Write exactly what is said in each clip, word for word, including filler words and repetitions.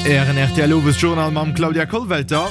Ären rtl Owesjournal mam Claudia Kollwelter.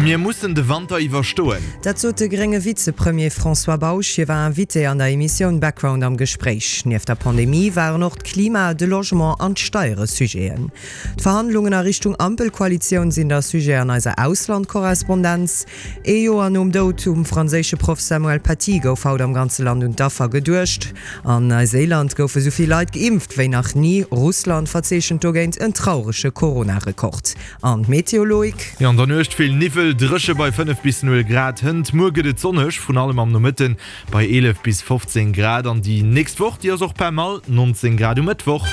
Mir mussen de Wanter iwwerstoen. Dat sot de grénge Vizepremier François Bausch. Hie war Invité an der Emissioun Background am Gespréich. Nieft der Pandemie waren och d'Klima, de Logement an d'Steiere Sujeten. D'Verhandlungen a Richtung Ampelkoalitioun sinn da Sujet an eiser Auslandkorrespondenz. Ee Joer nom Doud vum franséische Proff Samuel Paty gouf haut am ganze Land un d'Affer geduecht. An Neuseeland goufe sou vill Leit geimpft wéi nach ni. Russland verzeechent dogéint en traurege Corona-Rekord. An d'Meteo, Loïc? Jo, an der Nuecht vill Niwwel, dréche bei fënnef bis null Grad. Hënt muer gëtt et sonneg, vrun allem am Nomëtten bei eelef bis fofzéng Grad. An déi nächst Woch, déi ass och pas mal, nonzéng Grad um Mëttwoch.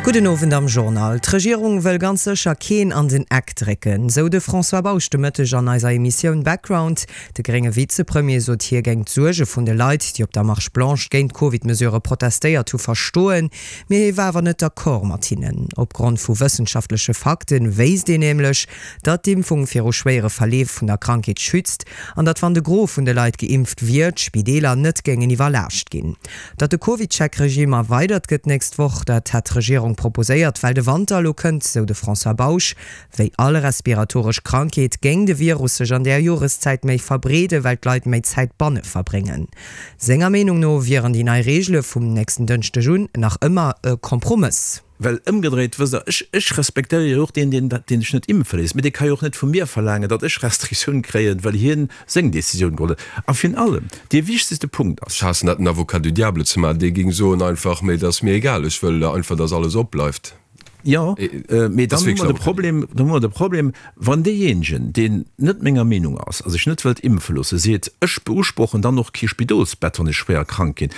Gudden Owend am Journal. D'Regierung wëll ganz sécher keen an den Eck drécken, sou de François Bausch de Mëtteg an eiser Emissioun Background. De grénge Vizepremier sot, hie géing d'Suerge vun de Leit, déi op der Marche Blanche géint d'Covid-Mesurë protestéiert hu, verstoen, mee hie war awer net d'accord mat hinnen. Opgrond vu wëssenschaftleche Fakte wéisst een nämlech, datt d'Impfung viru schwéiere Verleef vun der Krankheet schützt an datt wann de Gros vun de Leit geimpft wier, d'Spideeler net géingen iwwerlaascht ginn. Datt de CovidCheck-Regime erweidert gëtt d'nächst Woch, dat hätt d'Regierung proposéiert, well de Wanter elo kënnt, sou de François Bausch. Wéi all respiratoresch Krankheet géing de Virus sech an där Joreszäit méi verbreeden, well d'Leit méi Zäit banne verbréngen. Senger Meenung no wieren déi nei Reegele vum nächsten Dënschdeg un nach ëmmer e Kompromëss. Well ëmgedréit, wësst Der, ech, ech respektéiere jo och deen, deen, deen sech net impfe léisst, mee dee ka jo och net vu mir verlaangen, datt ech Restriktioun kréien, well hien seng Décisioun geholl huet. A virun allem, dee wichtegste Punkt ass. Ech haassen dat, den Avocat du diable ze maachen, dee géing soen einfach, mee dat ass mir egal, ech wëll einfach, datt alles opbleift. Jo, mee dann hu mer de Problem, dann hu mer de Problem, wann deejéinegen, deen net menger Meenung ass a sech net wëllt impfe loossen, seet, ech beusprochen dann och kee Spidolsbett, wann ech schwéier krank ginn,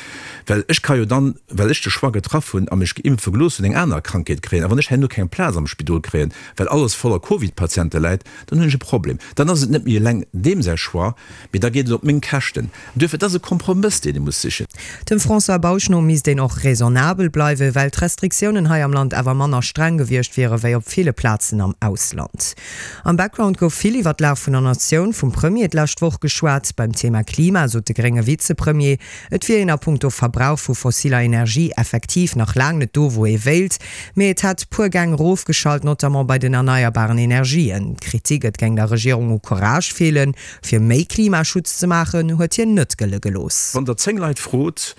well ech ka jo dann, well ech de Choix getraff hunn a mech geimpfe gelooss hunn, eng aner Krankheet kréien. A wann ech herno keng Plaz am Spidol kréien, well alles voller Covid-Patiente läit, dann hunn ech e Problem. Dann ass et net méi eleng deem säi Choix, mee da geet et op meng Käschten. Duerfir, et ass e Kompromëss, deen ee muss sichen. Dem François Bausch no misst een och raisonnabel bleiwen, well d'Restriktiounen hei am Land awer manner streng gewiescht wiere wéi op ville Plazen am Ausland. Am Background gouf vill iwwer d'Lag vun der Natioun vum Premier d'lescht Woch geschwat. Beim Thema Klima sot de grénge Vizepremier, et wier een a punkto Verbrauch vu fossiller Energie effektiv nach laang net do wou ee wéilt, mee et hätt puer Gäng erofgeschalt, notamment bei den erneierbaren Energien. D'Kritik, et géing der Regierung u Courage feelen, fir méi Klimaschutz ze maachen, huet hien net gëlle gelooss. Wann Der zéng Leit frot,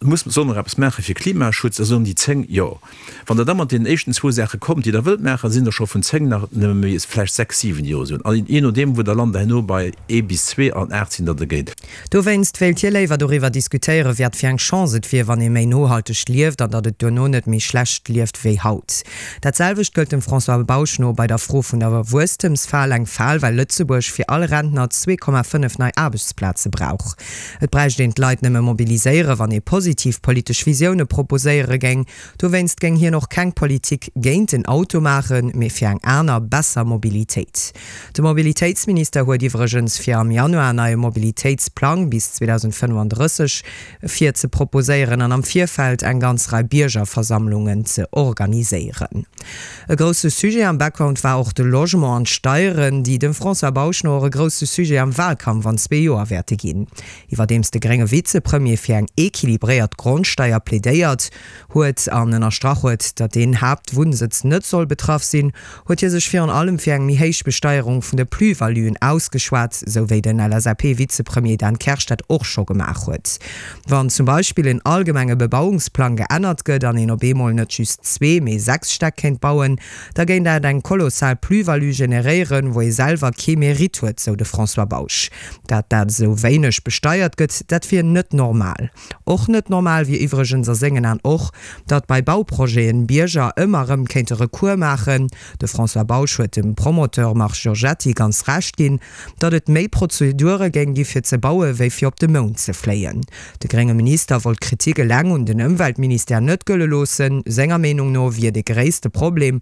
Muss, solle mer eppes maache fir Klimaschutz, da soen déi zéng Jo. Wann Der da mat deenen éischten zwou Saache kommt, déi Der wëllt maachen, sinn der scho vun zéng nach nëmme méi vläicht sechs, siwen, déi Jo soen. An jee nodeem, wou Der lant, herno bei ee bis zwee an aacht sinn der dergéint. Dowéinst wéilt hie léiwer doriwwer diskutéieren, wat fir eng Chance et wier, wann ee méi nohalteg lieft an datt et duerno net méi schlecht lieft wéi haut. Dat selwecht gëllt dem François Bausch no bei der Fro vun der Wuesstemsfal, eng Fal, well Lëtzebuerg fir all Rentner zwee Komma fënnef nei Aarbechtsplaze brauch. Et bräicht een d'Leit nëmme mobiliséieren, wann ee positiv politesch Visioune proposéiere géing. Dowéinst géing hien och keng Politik géint den Auto maachen, mee fir eng aner, besser Mobilitéit. De Mobilitéitsminister huet iwwregens fir am Januar en neie Mobilitéitsplang bis zweedausendfënnefandrësseg vir ze proposéieren an am Virfeld eng ganz Rei Biergerversammlungen ze organiséieren. E grousse Sujet am Background war och de Logement an d'Steieren, déi dem François Bausch no och e grousse Sujet am Wahlkampf an zwee Joer wäerte ginn. Iwwerdeems de grénge Vizepremier fir eng equilibréiert Grondsteier plädéiert huet an ënnerstrach huet, datt deen Haaptwunnsëtz net soll betraff sinn, huet hie sech virun allem fir eng méi héich Besteierung vun de Plus-valuen ausgeschwat, sou wéi den L S A P-Vizepremier Dan Kersch dat och scho gemaach huet. Wann zum Beispill en allgemenge Bebauungsplang geännert gëtt an een op eemol net just zwee, mee sechs Stäck kéint bauen, da géing dat eng kolossal Plus-value generéieren, wou ee selwer kee Mérite huet, sou de François Bausch. Dat dat esou wéineg besteiert gëtt, dat wier net normal. Och net normal wier iwwregens a sengen An och, datt bei Bauprojeten Bierger ëmmer erëm kéinte Recours maachen. De François Bausch huet dem Promoteur Marc Giorgetti ganz Recht ginn, datt et méi Prozedure géing gi fir ze baue wéi fir op de Mound ze fléien. De grénge Minister wollt d'Kritik eleng un den Ëmweltministère net gëlle loossen. Senger Meenung no wier de gréisste Problem,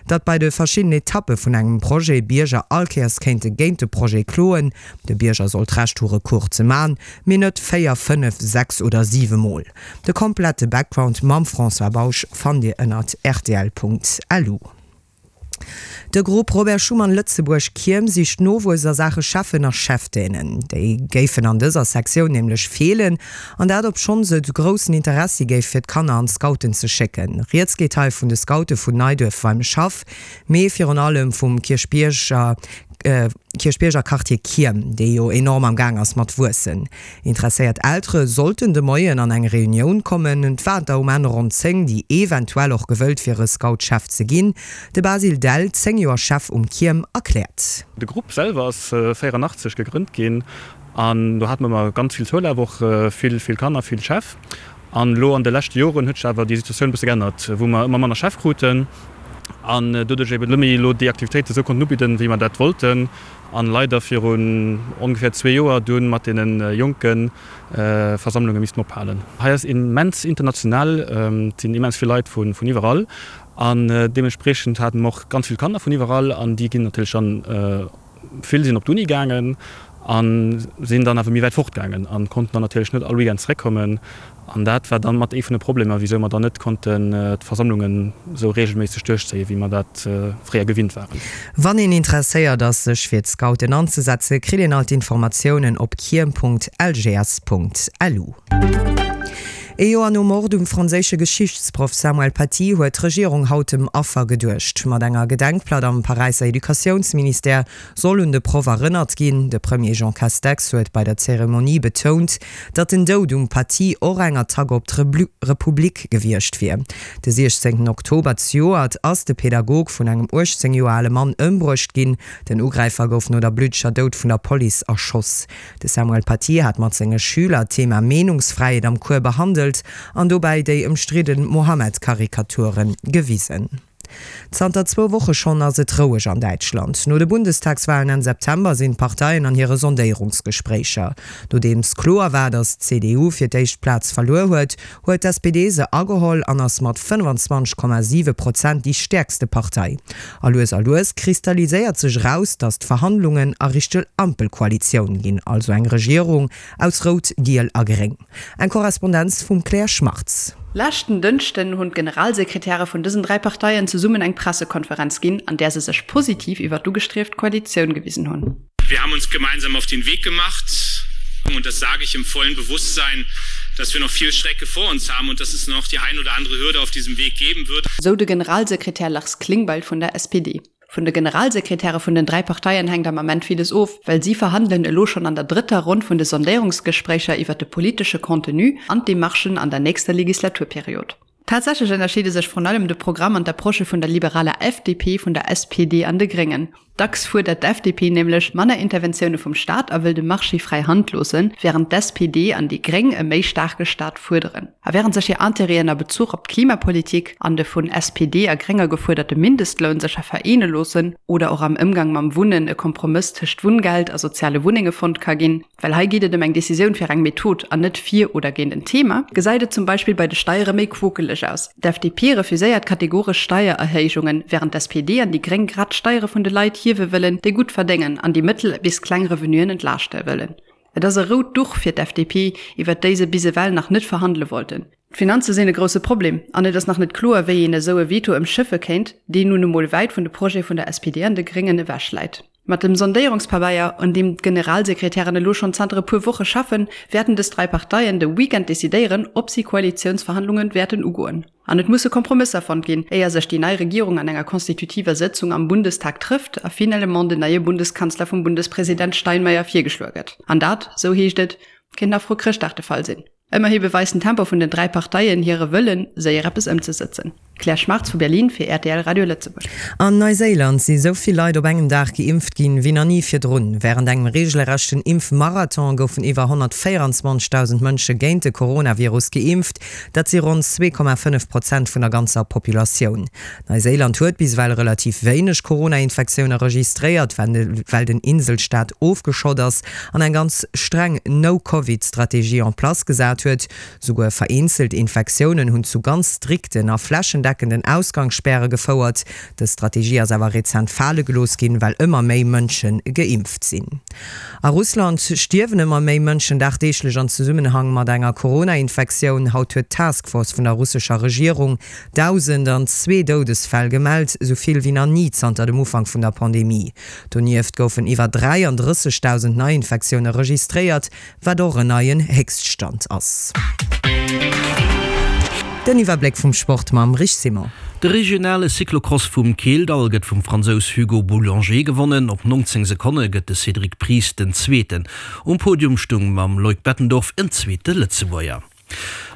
datt bei de verschiddenen Etappe vun engem Projet Bierger all Kéiers kéinte géint de Projet kloen. De Bierger soll d'Recht hu Recours ze man, mee net véier, fënnef, sechs oder siwe Mol. De komplette Background mam François Bausch fannt Dir ënnert rtl Punkt lu. De Grupp Robert Schuman Lëtzebuerg Kierm sicht Nowuess a Saache Cheffen a Cheftainen. Déi géifen an dëser Sektioun nämlech feelen, an dat obschonns et groussen Interessi géif fir d'Kanner an d'Scouten ze schécken. Rieds geet hei vun de Scoute vun Neiduerf Weimeschhaff, mee virun allem vum Kierchbierger Kierchbierger Quartier Kierm, dee jo enorm am Gaang ass mat wuessen. Interesséiert Eltere sollten de Moien an eng Reunioun kommen. Et waren der um Enn ronn zéng, déi eventuell och gewëllt wiere Scoutschef ze ginn. De Basile Dell, zéng Joer Chef um Kierm, erkläert. De Grupp selwer ass véierannachtzeg gegrënnt ginn an do hate mer ëmmer ganz vill Zoulaf, och vill, vill Kanner, vill Chef. An elo an de leschte Joren huet sech awer déi Situatioun e bësse geännert, wou mer ëmmer manner Chef kruten an doduerch eben net méi elo déi Aktivitéite esou konnten ubidden, wéi mer dat wollten. An leider virun ongeféier zwee Joer dunn mat deene jonke Versammlunge missten ophalen. Hei ass immens international, et sinn immens vill Leit vun iwwerall an deementspriechend hate mer och ganz vill Kanner vun iwwerall an déi ginn natierlech dann, vill sinn op d'Uni gaangen a sinn dann awer méi wäit fort gaangen a konnten dann natierlech net all Weekend zeréckkommen. An dat war dann mat ee vun de Problemer, wisou mer dann net konnten d'Versammlungen esou regelméisseg duerchzéien, wéi mer dat fréier gewinnt waren. Wann een interesséiert ass, sech fir d'Scouten anzesetzen, kritt een all d'Informatiounen op kierm.lgs.lu. Ee Joer nom Mord um franséische Geschichtsproff Samuel Paty huet d'Regierung haut dem Affer geduecht. Mat enger Gedenkplatt am Paräisser Educatiounsministère soll un de Proff erënnert ginn. De Premier Jean Castex huet bei der Zeremonie betount, datt den Doud um Paty och eng Attack op d'Republik gewiescht wier. De siechzéngten Oktober zejoert ass de Pedagog vun engem uechtzéng Joer ale Mann ëmbruecht ginn. Den Ugräifer gouf no der bluddeger Doud vun der Police erschoss. De Samuel Paty hat mat senge Schüler d'Thema Meenungsfräiheet am Cours behandelt an dobäi déi ëmstridde Mohammed-Karikature gewisen. Zanter zwou Woche schonn ass et roueg an Däitschland. No de Bundestagswalen Enn September sinn d'Parteien an hire Sondéierungsgespréicher. Nodeems kloer war, datt d'C D U fir d'éischt d'Plaz verluer huet, huet d'S P D se ageholl an ass mat fënnfanzwanzeg Komma siwe Prozent déi stäerkste Partei. A lues a lues kristalliséiert sech eraus, datt d'Verhandlungen a Richtung Ampelkoalitioun ginn, also eng Regierung aus Rout, Giel a Gréng. Eng Korrespondenz vum Claire Schmartz. Leschten Dënschden hunn d'Generalsekretäre vun dësen dräi Parteien zesummen eng Pressekonferenz ginn, an där se sech positiv iwwer d'ugestrieft Koalitioun gewisen hunn. Wir haben uns gemeinsam auf den Weg gemacht und das sage ich im vollen Bewusstsein, dass wir noch viel Strecke vor uns haben und dass es noch die ein oder andere Hürde auf diesem Weg geben wird. Sou de Generalsekretär Lars Klingbeil vun der S P D. Vun de Generalsekretäre vun den dräi Parteien hänkt am Ament villes of, well si verhandelen elo schonn an der drëtter Ronn vun de Sondéierungsgespréicher iwwer de politesche Contenu an d'Demarchen an der nächster Legislaturperiod. Tatsächlech ënnerscheede sech vrun allem de Programm an d'Approche vun der liberaler F D P, vun der S P D an de Gréngen. Dacks fuerdert d'F D P nämlech manner Interventioune vum Staat a wëll dem Marché fräi Hand loossen, wärend d'S P D an déi Gréng e méi staarke Staat fuerderen. A wärend sech hir Interêten a Bezuch op d'Klimapolitik an de vun S P D a Grénger gefuerderte Mindestloun sécher vereene loossen oder och am Ëmgang mam Wunnen e Kompromëss tëscht Wunngeld a soziale Wunnenge fonnt ka ginn, well hei geet et ëm eng Decisioun fir eng Method an net fir oder géint en Thema, gesäit et zum Beispill bei de Steiere méi quokeleg aus. D'F D P refuséiert kategoresch Steiererhéijungen, wärend d'S P D an déi Gréng grad d'Steiere vun de Leit hiewe wëllen, déi gutt verdéngen an déi mëttel bis kleng Revenuen entlaaschte wëllen. Et ass e rout Duch fir d'F D P, iwwert déi se bis ewell nach net verhandele wollten. D'Finanze sinn e grousse Problem an et ass nach net kloer, wéi een esou e Veto ëmschëffe kéint, deen nun emol wäit vun de Projete vun der S P D an de Gréngen ewech läit. Mat dem Sondéierungspabeier, un deem d'Generalsekretären elo schonn zanter e puer Woche schaffen, wäerten dës dräi Parteien de Weekend decidéieren, ob si Koalitiounsverhandlunge wäerten ugoen. An et musse Kompromësser fonnt ginn, éier sech déi nei Regierung an enger konstitutiver Sëtzung am Bundestag trëfft a finalement den neie Bundeskanzler vum Bundespresident Steinmeier virgeschloe gëtt. An dat, sou heescht et, kéint nach vru Chrëschtdag de Fall sinn. Ëmmerhi beweist den Tempo vun den dräi Parteien hire Wëllen, séier eppes ëmzesëtzen. Claire Schmartz vu Berlin fir R T L Radio Lëtzebuerg. An Neuséiland si sou vill Leit op engem Dag geimpft ginn, wéi nach ni virdrun. Wärend engem reegelrechten Impfmarathon goufen iwwer honnertvéierenzwanzegdausend Mënsche géint de Coronavirus geimpft. Dat si ronn zwee Komma fënnef Prozent vun der ganzer Populatioun. Neuséiland huet bis ewell relativ wéineg Corona-Infektioune registréiert, well den Inselstaat ofgeschott ass an eng ganz streng No-Covid-Strategie en place gesat gesat huet. Souguer vereenzelt Infektiounen hunn zu ganz strikten a flächendeckenden Ausgangsspäre gefouert. Dës Strategie ass awer rezent fale gelooss ginn, well ëmmer méi Mënsche geimpft sinn. A Russland stierwen ëmmer méi Mënschen dagdeeglech an Zesummenhang mat enger Corona-Infektioun. Haut huet d'Task Force vun der russescher Regierung dausend an zwee Doudesfäll gemellt, esou vill wéi nach ni zanter dem Ufank vun der Pandemie. Donieft goufen iwwer dräiandrëssegdausend Neiinfektioune registréiert, wat och en neien Héchststand ass. Den Iwwerbléck vum Sport mam Rich Simon. De regionale Cyclocross vum Keeldall gëtt vum Fransous Hugo Boulanger gewonnen. Op nonzéng Sekonne gëtt de Cédric Pries den Zweeten. Um Podium stung mam Loïc Bettendorf en zweete Lëtzebuerger.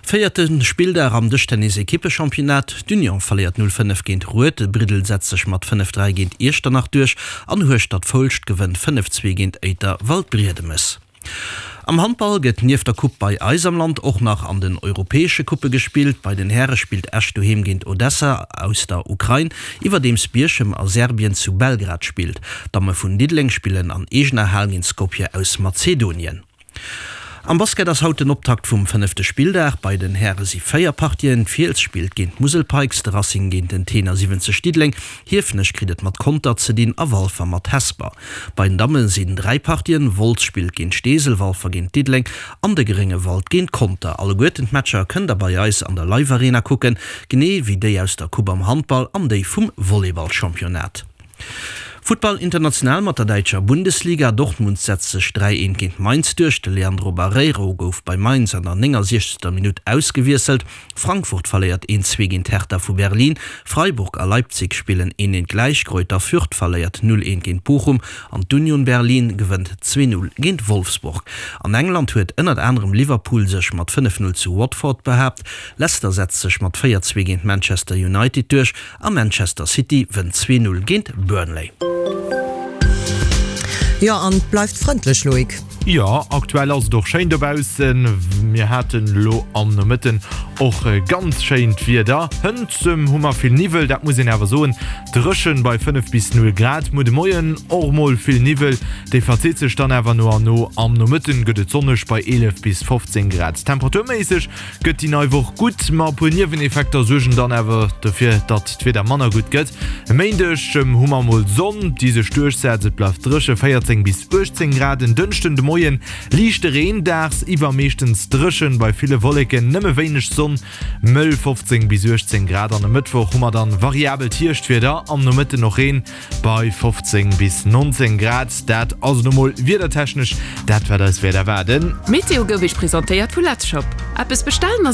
Véierte Spilldag am Dëschtennis-Ekippechampionnat, D'Union verléiert null fënnef géint Rued, Briddel setzt sech mat fënnef dräi géint Iechternach duerch an Hueschtert-Foulscht gewënnt fënnef zwee géint Éiter-Waldbriedemes. Am Handball gëtt nieft der Coupe bei eis am Land och nach an den europäesche Couppe gespillt. Bei den Häre spillt Esch doheem géint Odessa aus der Ukrain, iwwerdeems Bierchem a Serbien zu Belgrad spillt. D'Damme vun Diddeleng spillen an eegener Hal géint Skopje aus Mazedonien. Am Basket ass haut den Optakt vum fënnefte Spilldag. Bei den Häre si véier Partien, D'Fiels spillt géint d'Musel Pikes, de Racing géint den Tenor siwwenzeg Diddeleng, Hiefenech kritt et mat Conter ze dinn a Walfer mat Hesper. Bei den Damme sinn dräi Partien, Wolz spillt géint Steesel, Walfer géint Diddeleng an de Gréngewald géint Conter. Alleguerten d'Matcher kënnt der bei eis an der Live Arena kucken, genee wéi déi aus der Coupe am Handball an déi vum Volleyball-Championnat. Futtball international mat der däitscher Bundesliga, Dortmund setzt sech dräi eent géint Mainz duerch. De Leandro Barreiro gouf bei Mainz an der néngasiechzegster Minutt ausgewiesselt. Frankfurt verléiert een zwee géint Hertha vu Berlin. Freiburg a Leipzig spillen een eent gläich. Greuther Fürth verléiert null eent géint Bochum an d'Union Berlin gewënnt zwee null géint Wolfsburg. An England huet ënnert anerem Liverpool sech mat fënnef null zu Watford behaapt. Leicester setzt sech mat véier zwee géint Manchester United duerch a Manchester City wënnt zwee null géint Burnley. Jo, an et bleift frëndlech, Loïc. Jo, aktuell ass et och schéin dobaussen. Mir haten elo am Nomëtten och ganz schéint Wieder. Hënt hu mer vill Niwwel, dat muss een awer soen. Dréchen bei fënnef bis null Grad. Muer de Moien och mol vill Niwwel, dee verzitt sech dann awer no an no. Am Nomëtten gëtt et sonneg bei eelef bis fofzéng Grad. Temperaturméisseg gëtt déi nei Woch gutt, ma e puer Nieweneffekter suergen dann awer dofir, datt d'Wieder manner gutt gëtt. E Méindeg hu mer mol Sonn, déi sech duerchsetzt, et bleift dréche, véierzéng bis uechtzéng Grad. En Dënschden de Moien liichte Reen, dagsiwwer meeschtens dréchen, bei ville Wolleken, nëmme wéineg Sonn, mëll fofzéng bis uechtzéng Grad. An e Mëttwoch hu mer dann variabelt Hierschtwieder, am Nomëtten och Reen bei fofzéng bis nonzéng Grad. Dat ass elo mol wiedertechnesch dat, wat eis wäert erwaarden. D'Meteo gouf Iech presentéiert vu Letzshop. Eppes bestellen ass.